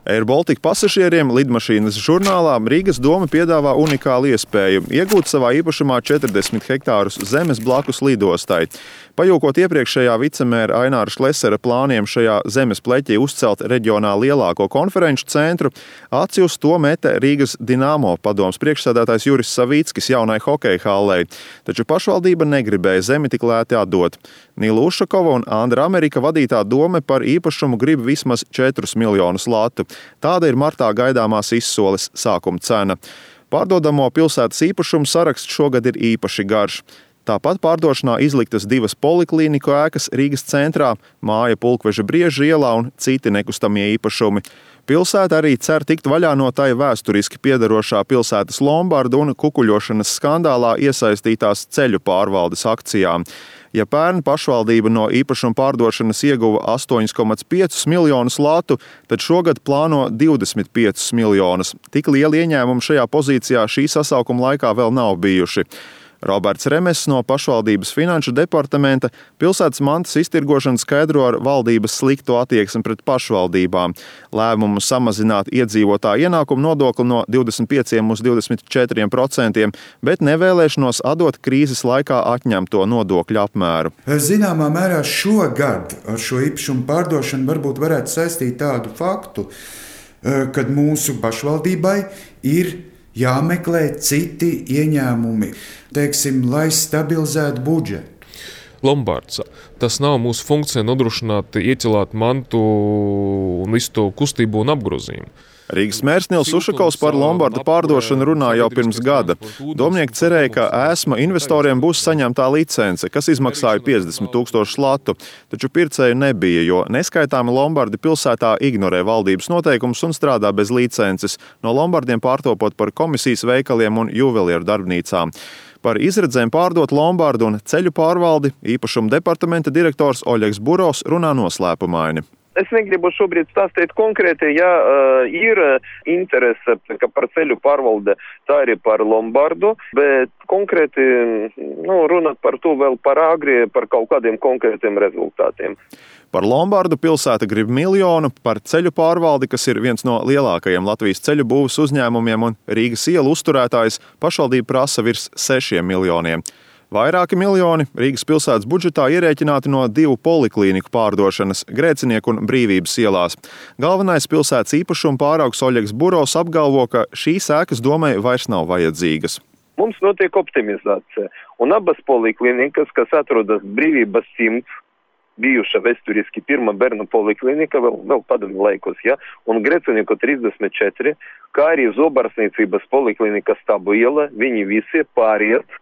Air Baltica pasažieriem lidmašīnas žurnālā Rīgas doma piedāvā unikālu iespēju iegūt savā īpašumā 40 hektārus zemes blakus lidostai. Pajūkot iepriekšējā vicemēra Aināra Šlesera plāniem šajā zemes pleķī uzcelt reģionā lielāko konferenču centru, aci uz to meta Rīgas Dinamo padomes priekšsēdētājs Juris Savīckis jaunai hokeja hallei, taču pašvaldība negribēja zemi tik lēti atdot. Nīla Ušakova un Andra Amerika vadītā dome par īpašumu grib vismaz 4 miljonus latu. Tāda ir martā gaidāmās izsoles sākuma cena. Pārdodamo pilsētas īpašumu saraksts šogad ir īpaši garš. Tāpat pārdošanā izliktas 2 poliklīniku ēkas Rīgas centrā, māja Pulkveža Brieža ielā un citi nekustamie īpašumi. Pilsēta arī cer tikt vaļā no tai vēsturiski piederošā pilsētas lombardu un kukuļošanas skandālā iesaistītās ceļu pārvaldes akcijām. Ja pērn pašvaldība no īpašuma pārdošanas ieguva 8,5 miljonus latu, tad šogad plāno 25 miljonus. Tik lieli ieņēmumi šajā pozīcijā šī sasaukuma laikā vēl nav bijuši. Roberts Remes no pašvaldības finanšu departamenta pilsētas mantas iztirgošanu skaidro ar valdības slikto attieksmi pret pašvaldībām. Lēmumu samazināt iedzīvotāju ienākumu nodokli no 25 uz 24%, bet nevēlēšanos atdot krīzes laikā atņemto nodokļu apmēru. Zināmā mērā šogad ar šo īpašumu pārdošanu varbūt varētu saistīt tādu faktu, kad mūsu pašvaldībai ir jāmeklē citi ieņēmumi, teiksim, lai stabilizētu budžetu. Lombards. Tas nav mūsu funkcija nodrošināt, ieķelāt mantu un visu to kustību un apgrozījumu. Rīgas mērs Nils Ušakovs par lombardu pārdošanu runā jau pirms gada. Domnieki cerēja, ka ēsma investoriem būs saņemtā licence, kas izmaksāja 50 000 latu, taču pircēju nebija, jo neskaitāmi lombardi pilsētā ignorē valdības noteikumus un strādā bez licences, no lombardiem pārtopot par komisijas veikaliem un juvelieru darbnīcām. Par izredzēm pārdot lombardu un ceļu pārvaldi īpašuma departamenta direktors Oļegs Burovs runā noslēpumaini. Es negribu šobrīd stāstīt konkrēti, ja ir interese par ceļu pārvalde, tā arī par lombardu, bet konkrēti runāt par to vēl par agri, par kaut kādiem konkrētiem rezultātiem. Par lombardu pilsēta grib 1 miljonu, par ceļu pārvaldi, kas ir viens no lielākajiem Latvijas ceļu būvas uzņēmumiem un Rīgas ielu uzturētājs, pašvaldība prasa virs 6 miljoniem. Vairāki miljoni Rīgas pilsētas budžetā ierēķināti no 2 poliklīniku pārdošanas Grēcinieku un Brīvības ielās. Galvenais pilsētas īpašuma pāraugs Oļegs Burovs apgalvo, ka šīs ēkas domai vairs nav vajadzīgas. Mums notiek optimizācija, un abas poliklīnikas, kas atrodas Brīvības 100, bijuša vēsturiski pirmā bērnu poliklinika, vēl padomju laikos, un Grēcinieku 34, kā arī Zobarsniecības poliklinika Stabu iela, viņi visi pāriet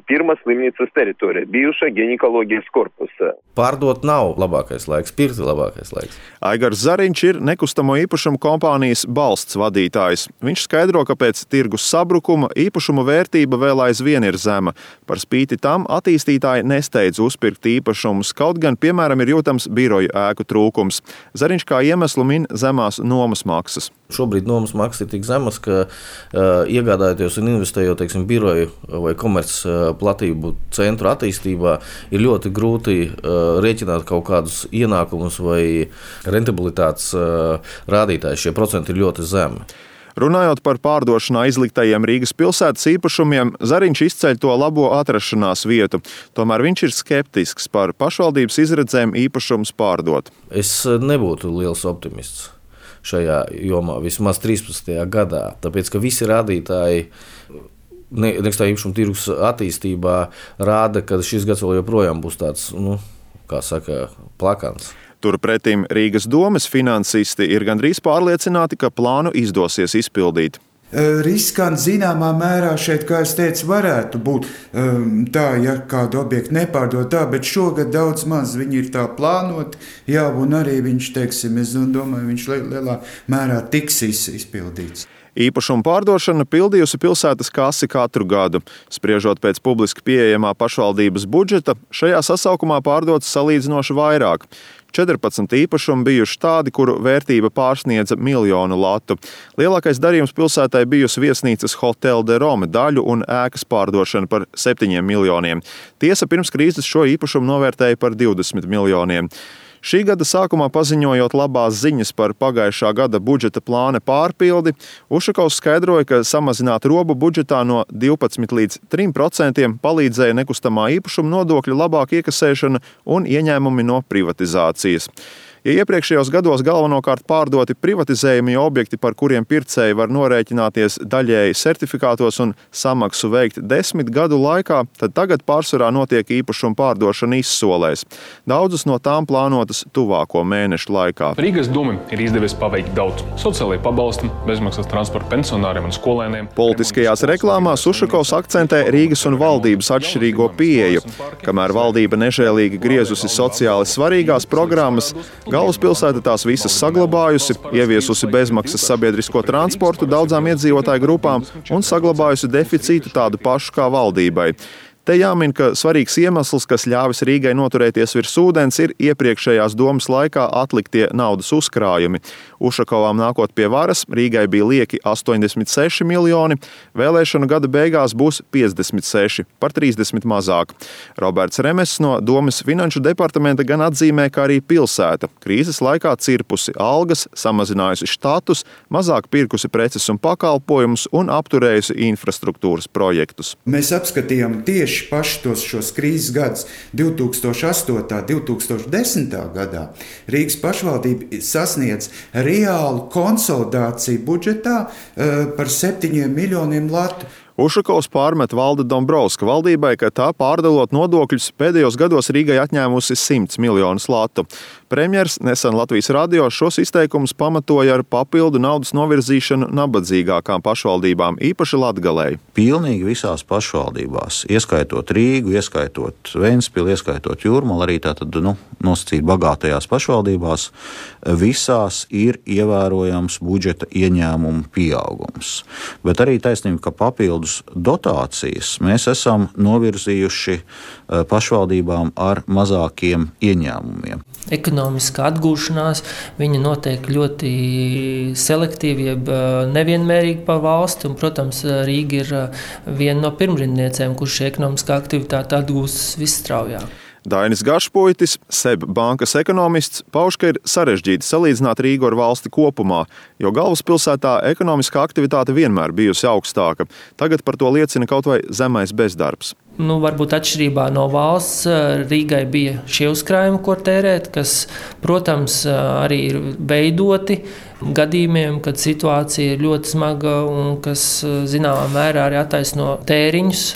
pirmās slimnīcas teritorija, bijušā ginekoloģijas korpusā. Pārdot nav labākais laiks, pirkt labākais laiks. Aigars Zariņš ir nekustamo īpašumu kompānijas Balsts vadītājs. Viņš skaidro, ka pēc tirgus sabrukuma īpašumu vērtība vēl aizvien ir zema. Par spīti tam attīstītāji nesteidz uzpirkt īpašumus, kaut gan, piemēram, ir jūtams biroju ēku trūkums. Zariņš kā iemeslu min zemās nomas maksas. Šobrīd nomas maksas ir tik zemas, ka iegādājoties un investējot, teiksim, biroju vai komerces platību centru attīstībā, ir ļoti grūti rēķināt kaut kādus ienākumus vai rentabilitātes rādītājus. Šie procenti ir ļoti zemi. Runājot par pārdošanā izliktajiem Rīgas pilsētas īpašumiem, Zariņš izceļ to labo atrašanās vietu. Tomēr viņš ir skeptisks par pašvaldības izredzēm īpašumus pārdot. Es nebūtu liels optimists šajā jomā, vismaz 13. gadā, tāpēc, ka visi rādītāji nekustamā īpašuma tirgus attīstībā rāda, ka šis gads vēl joprojām būs tāds, plakans. Turpretim Rīgas domes finansisti ir gandrīz pārliecināti, ka plānu izdosies izpildīt. Riskanti zināmā mērā šeit, kā es teicu, varētu būt tā, ja kādu objektu nepārdod tā, bet šogad daudz maz viņi ir tā plānoti, un arī viņš, teiksim, es domāju, viņš lielā mērā tiks izpildīts. Īpašuma pārdošana pildījusi pilsētas kasi katru gadu. Spriežot pēc publiski pieejamā pašvaldības budžeta, šajā sasaukumā pārdots salīdzinoši vairāk. 14 īpašumi bijuši tādi, kuru vērtība pārsniedza 1 miljonu latu. Lielākais darījums pilsētai bijusi viesnīcas Hotel de Rome daļu un ēkas pārdošana par 7 miljoniem. Tiesa, pirms krīzes šo īpašumu novērtēja par 20 miljoniem. Šī gada sākumā paziņojot labās ziņas par pagājušā gada budžeta plāna pārpildi, Ušakovs skaidroja, ka samazināt robu budžetā no 12 līdz 3% palīdzēja nekustamā īpašuma nodokļa labāka iekasēšana un ieņēmumi no privatizācijas. Ja iepriekšējos gados galvenokārt pārdoti privatizējumi objekti, par kuriem pircēji var norēķināties daļēji certifikātos un samaksu veikt 10 gadu laikā, tad tagad pārsvarā notiek īpašuma pārdošana izsolēs. Daudzas no tām plānotas tuvāko mēnešu laikā. Rīgas domai ir izdevies paveikt daudz. Sociālajie pabalsti, bezmaksas transporta pensionāriem un skolēniem. Politiskajās reklāmās Ušakovs akcentē Rīgas un valdības atšķirīgo pieeju. Kamēr valdība nežēlīgi griezusi sociāli svarīgās programmas, galvaspilsēta tās visas saglabājusi, ieviesusi bezmaksas sabiedrisko transportu daudzām iedzīvotāju grupām un saglabājusi deficītu tādu pašu kā valdībai. Te jāmin, ka svarīgs iemesls, kas ļāvis Rīgai noturēties virs ūdens, ir iepriekšējās domas laikā atliktie naudas uzkrājumi. Ušakovam nākot pie varas, Rīgai bija lieki 86 miljoni, vēlēšanu gada beigās būs 56, par 30 mazāk. Roberts Remests no domas finanšu departamenta gan atzīmē, ka arī pilsēta krīzes laikā cirpusi algas, samazinājusi štatus, mazāk pirkusi preces un pakalpojumus un apturējusi infrastruktūras projektus. Mēs apskatījām tieši šos krīzes gadus 2008. 2010. gadā. Rīgas pašvaldība sasniedz reālu konsolidāciju budžetā par 7 miljoniem latu. Ušakovs pārmet Valda Dombrovska valdībai, ka tā pārdalot nodokļus pēdējos gados Rīgai atņēmusi 100 miljonus latu. Premjers nesen Latvijas radio šos izteikumus pamatoja ar papildu naudas novirzīšanu nabadzīgākām pašvaldībām, īpaši Latgalei. Pilnīgi visās pašvaldībās, ieskaitot Rīgu, ieskaitot Ventspili, ieskaitot Jūrmalu, arī tātad nosacīt bagātajās pašvaldībās, visās ir ievērojams budžeta ieņēmumu pieaugums. Bet arī taisnība, ka papildus dotācijas mēs esam novirzījuši pašvaldībām ar mazākiem ieņēmumiem. Ekonomiskā atgūšanās, viņa notiek ļoti selektīvi, jeb nevienmērīgi pa valsti, un, protams, Rīga ir viena no pirmrindniecēm, kurš ekonomiskā aktivitāte atgūstas visstraujāk. Dainis Gašpuitis, SEB bankas ekonomists, pauž, ka ir sarežģīti salīdzināt Rīgu ar valsti kopumā, jo galvaspilsētā ekonomiskā aktivitāte vienmēr bijusi augstāka. Tagad par to liecina kaut vai zemais bezdarbs. Varbūt atšķirībā no valsts Rīgai bija šie uzkrājumi, ko tērēt, kas, protams, arī ir veidoti gadījumiem, kad situācija ir ļoti smaga un kas, zināmā mērā, arī attaisno tēriņus.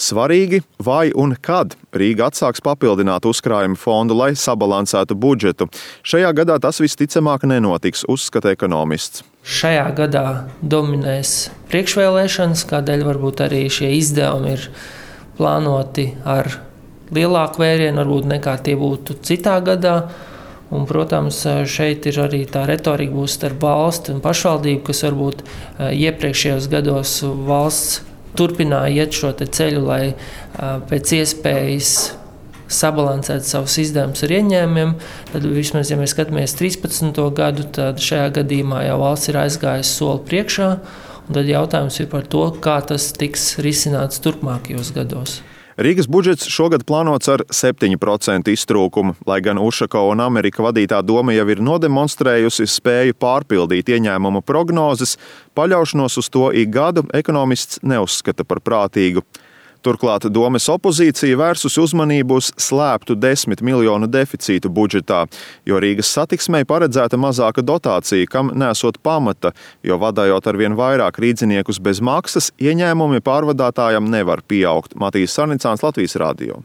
Svarīgi, vai un kad Rīga atsāks papildināt uzkrājumu fondu, lai sabalansētu budžetu. Šajā gadā tas visticamāk nenotiks, uzskata ekonomists. Šajā gadā dominēs priekšvēlēšanas, kādēļ varbūt arī šie izdevumi ir plānoti ar lielāku vērienu, varbūt nekā tie būtu citā gadā. Un, protams, šeit ir arī tā retorika būs starp valsti un pašvaldību, kas varbūt iepriekšējos gados valsts turpināja iet šo ceļu, lai pēc iespējas sabalansētu savus izdevumus ar ieņēmumiem. Tad vismaz, ja mēs skatāmies 13. gadu, tad šajā gadījumā jau valsts ir aizgājusi soli priekšā. Un tad jautājums ir par to, kā tas tiks risināts turpmākajos gados. Rīgas budžets šogad plānots ar 7% iztrūkumu, lai gan Ušakova un Amerika vadītā doma jau ir nodemonstrējusi spēju pārpildīt ieņēmumu prognozes, paļaušanos uz to ik gadu ekonomists neuzskata par prātīgu. Turklāt domes opozīcija vērsusi uzmanību uz slēptu 10 miljonu deficītu budžetā, jo Rīgas satiksmei paredzēta mazāka dotācija, kam nesot pamata, jo vadājot arvien vairāk rīdziniekus bez maksas, ieņēmumi pārvadātājam nevar pieaugt. Matīs Sarnicāns, Latvijas radio.